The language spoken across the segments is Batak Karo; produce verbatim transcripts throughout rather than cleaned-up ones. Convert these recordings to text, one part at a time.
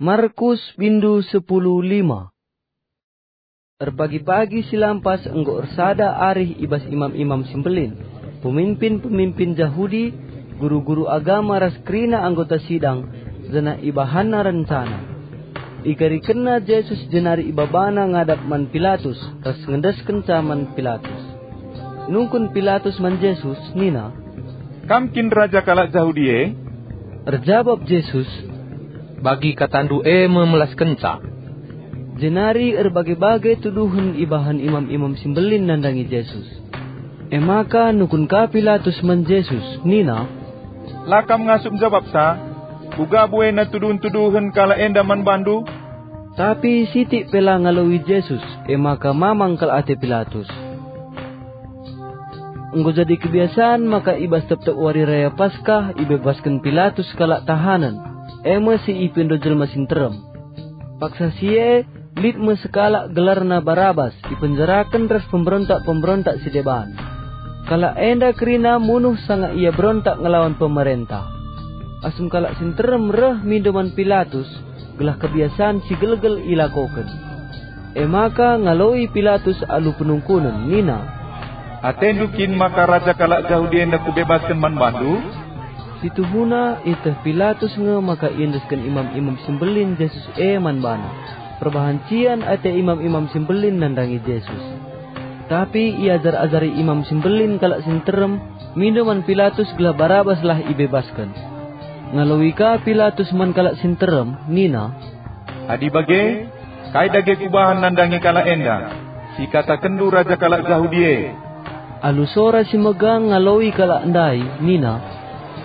Markus bindu sepuluh lima. Erpagi-pagi si lampas enggo ersada arih i bas imam-imam si mbelin, pemimpin-pemimpin Jahudi, guru-guru agama ras kerina anggota sidang, janah ibahanna rencana. Igarikenna Jesus jenari ibabana ngadap man Pilatus ras ngendeskenca man Pilatus. Nungkun Pilatus man Jesus nina, "Kam kin raja kalak Jahudi e?" Erjabap Jesus, "Bagi katandu e me melaskenca." Jenari erbage-bage tuduhen ibahan imam-imam si mbelin nandangi Jesus. E maka nungkun ka Pilatus man Jesus nina, "La kam ngasup njabapsa? Kuga buena tuduhen-tuduhen kalak enda man bandu?" Tapi sitik pe la ngaloi Jesus, e maka mamang kal ate Pilatus. Enggo jadi kebiasan maka i bas tep-tep wari raya Paskah ibebasken Pilatus kalak tahanen, e me si ipindo jelma si nterem. Paksa si e, lit me sekalak gelarna Barabas ipenjaraken ras pemberontak-pemberontak si deban. Kalak enda kerina munuh sanga ia berontak ngelawan pemerentah. Asum kalak si nterem reh mindo man Pilatus, gelah kebiasan si gelgel ilakoken. E maka ngaloi Pilatus alu penungkunen nina, "Atendu kin maka raja kalak Jahudi enda kubebasken man bandu?" Situhuna ieteh Pilatus nge maka iendesken imam-imam si mbelin Jesus e man bana. Perbahan cian ate imam-imam si mbelin nandangi Jesus. Tapi iajar-ajari imam si mbelin kalak si nterem, mindo man Pilatus gelah Barabaslah ibebasken. Ngaloi ka Pilatus man kalak si nterem nina, "Adi bage, kai dage kubahan nandangi kalak enda, si ikatakenndu raja kalak Jahudi e?" Alu sora si megang ngaloi kalak ndai nina,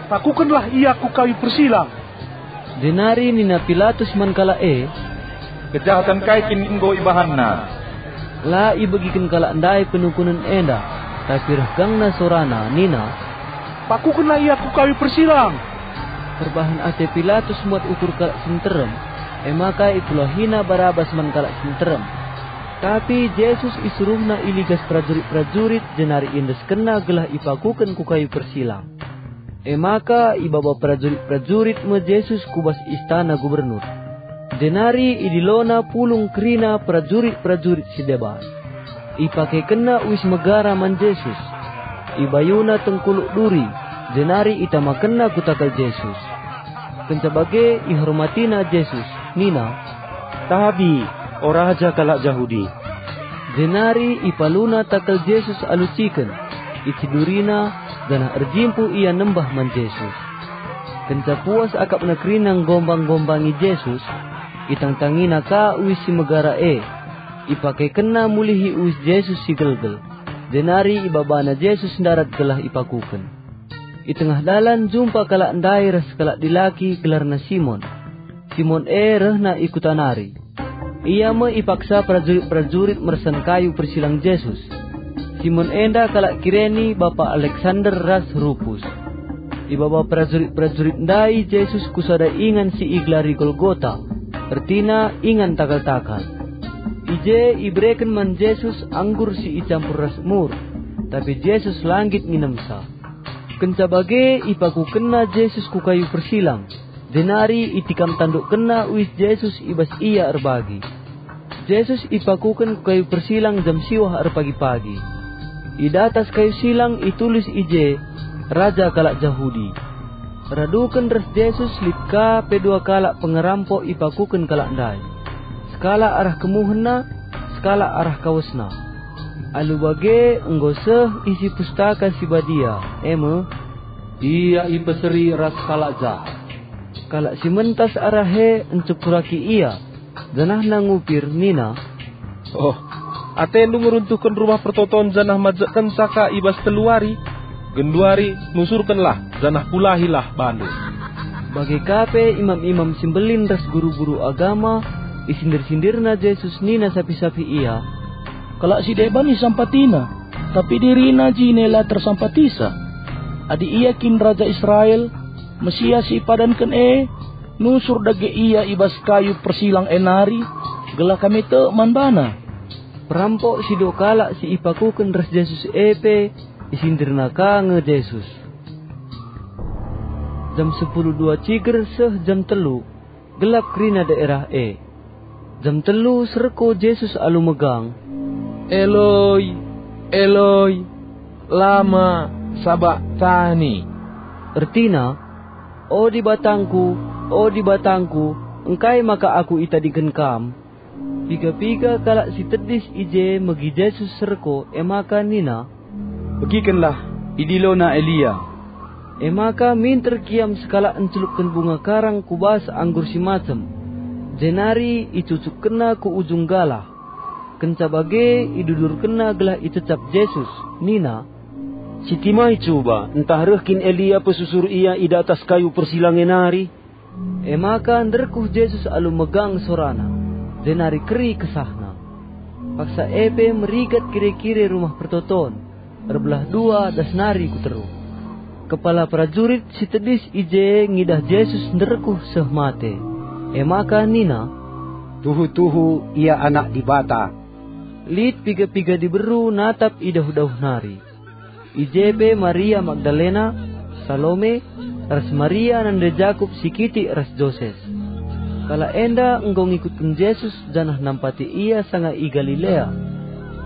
"Pakukenlah ia ku kayu persilang!" Jenari nina Pilatus man kalak e, "Kejahaten kai kin enggo ibahanna?" La ibegiken kalak ndai penungkunen enda, tapi reh gangna sorana nina, "Pakukenlah ia ku kayu persilang!" Perbahan ate Pilatus muat ukur kalak si nterem, e maka ipulahina Barabas man kalak si nterem. Tapi Jesus isuruhna i ligas perajurit-perajurit jenari iendeskenna gelah ipakuken ku kayu persilang. E maka ibaba perajurit-perajurit me Jesus ku bas istana gubernur. Jenari idilona pulung kerina perajurit-perajurit si deban. Ipakekenna uis megara man Jesus. Ibayuna tengkuluk duri, jenari itamakenna ku takal Jesus. Kenca bage ihormatina Jesus, nina, "Tabi, o Raja kalak Jahudi." Jenari ipaluna takal Jesus alu ciken, icidurina, janah erjimpuh ia nembah man Jesus. Kenca puas akapna kerina nggombang-gombangi Jesus, itangtangina ka uis si megara e. Ipakekenna mulihi uis Jesus si gelgel, jenari ibabana Jesus ndarat gelah ipakuken. I tengah dalan jumpa kalak ndai ras kalak dilaki gelarna Simon. Simon e rehna i kuta nari. Ia me ipaksa perajurit-perajurit mersan kayu persilang Jesus. Simon enda kalak Kireni, bapa Aleksander ras Rupus. Ibaba perajurit-perajurit ndai Jesus ku sada ingan si igelari Golgota, ertina ingan takal-takal. I je ibereken man Jesus anggur si icampur ras mur, tapi Jesus la nggit nginemsa. Kenca bage ipakukenna Jesus ku kayu persilang, jenari itikam tandukkenna uis Jesus i bas ia erbagi. Jesus ipakuken ku kayu persilang jam siwah erpagi-pagi. I datas kayu silang itulis i je, "Raja kalak Jahudi." Raduken ras Jesus lit ka pe dua kalak pengerampok ipakuken kalak ndai. Sekalak arah kemuhenna, sekalak arah kawesna. Alu bage enggo seh isi Pustaka Si Badia, e me, "Ia ipeseri ras kalak jahat." Kalak si mentas arah e ncekuraki ia, janahna ngupir nina, "Oh, atendu ngeruntuhken Rumah Pertoton janah majekkenca ka i bas telu wari? Genduari nusurkenlah janah pulahilah bandu." Bage ka pe imam-imam si mbelin ras guru-guru agama isindir-sindirna Jesus nina sapih-sapih ia, "Kalak si deban isampatiNa, tapi diriNa jine la tersampatiNa. Adi Ia kin Raja Israel, Mesias si ipadanken e, nusur dage Ia i bas kayu persilang e nari, gelah kami tek man baNa." Perampok si dua kalak si ipakuken ras Jesus e pe isindirna ka nge Jesus. Jam sepuluh dua ciger seh jam telu, Gelap kerina daerah e. Jam telu serko Jesus alu megang, "Eloi, Eloi, lama sabaktani?" Ertina, "O Dibatangku, o Dibatangku, engkai maka Aku itadingken Kam?" Piga-piga kalak si tedis i je megi Jesus serko, e maka nina, "Begikenlah, idilona Elia." E maka minter kiam sekalak encelukken bunga karang ku bas anggur si macem, jenari icucukkenna ku ujung galah. Kenca bage idudurkenna gelah icecap Jesus, nina, "Sitimai cuba, ntah reh kin Elia pesusur ia i datas kayu persilang e nari?" E maka nderkuh Jesus alu megang sorana, jenari keri kesahna. Paksa e pe merigat kire-kire Rumah Pertoton, erbelah dua das nari ku teruh. Kepala perajurit si tedis i je ngidah Jesus nderkuh seh mate. E maka nina, "Tuhu-tuhu IA Anak Dibata." Lit piga-piga diberu natap i dauh-dauh nari. I je pe Maria Magdalena, Salome, ras Maria nande Jakup si kitik ras Joses. Kalak enda enggo ngikutken Jesus janah nampati Ia sanga i Galilea.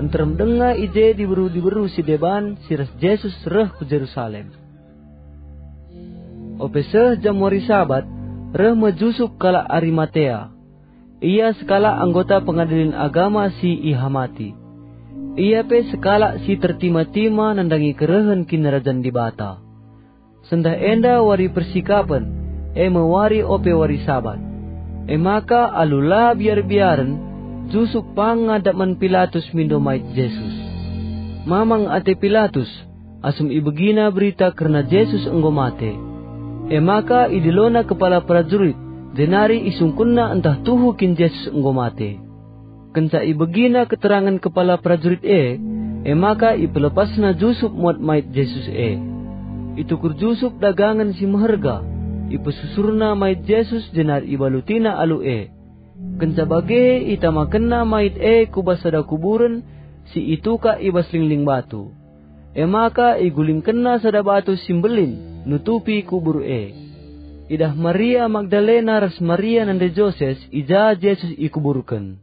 Nterem denga i je diberu-diberu si deban si ras Jesus reh ku Jerusalem. Ope seh jam wari Sabat, reh me Jusup kalak Arimatea. Ia sekalak anggota Pengadilen Agama si ihamati. Ia pe sekalak si tertima-tima nandangi kerehen Kinirajan Dibata. Sendah enda wari persikapen, e me wari ope wari Sabat. E maka alu la biar-biaren, Jusup pang ngadap man Pilatus mindo mait Jesus. Mamang ate Pilatus, asum ibegina berita kerna Jesus enggo mate. E maka idilona kepala perajurit, jenari isungkunna ntah tuhu kin Jesus enggo mate. Kenca ibegina keterangen kepala perajurit e, e maka ipelepasna Jusup muat mait Jesus e. Itukur Jusup dagangen si meherga, ipesusurna mait Jesus jenari ibalutina alu e. Kenca bage itamakenna mait e ku bas sada kuburen si itukak i bas lingling batu. E maka igulingkenna sada batu si mbelin nutupi kubur e. Idah Maria Magdalena ras Maria nande Joses i ja Jesus ikuburken.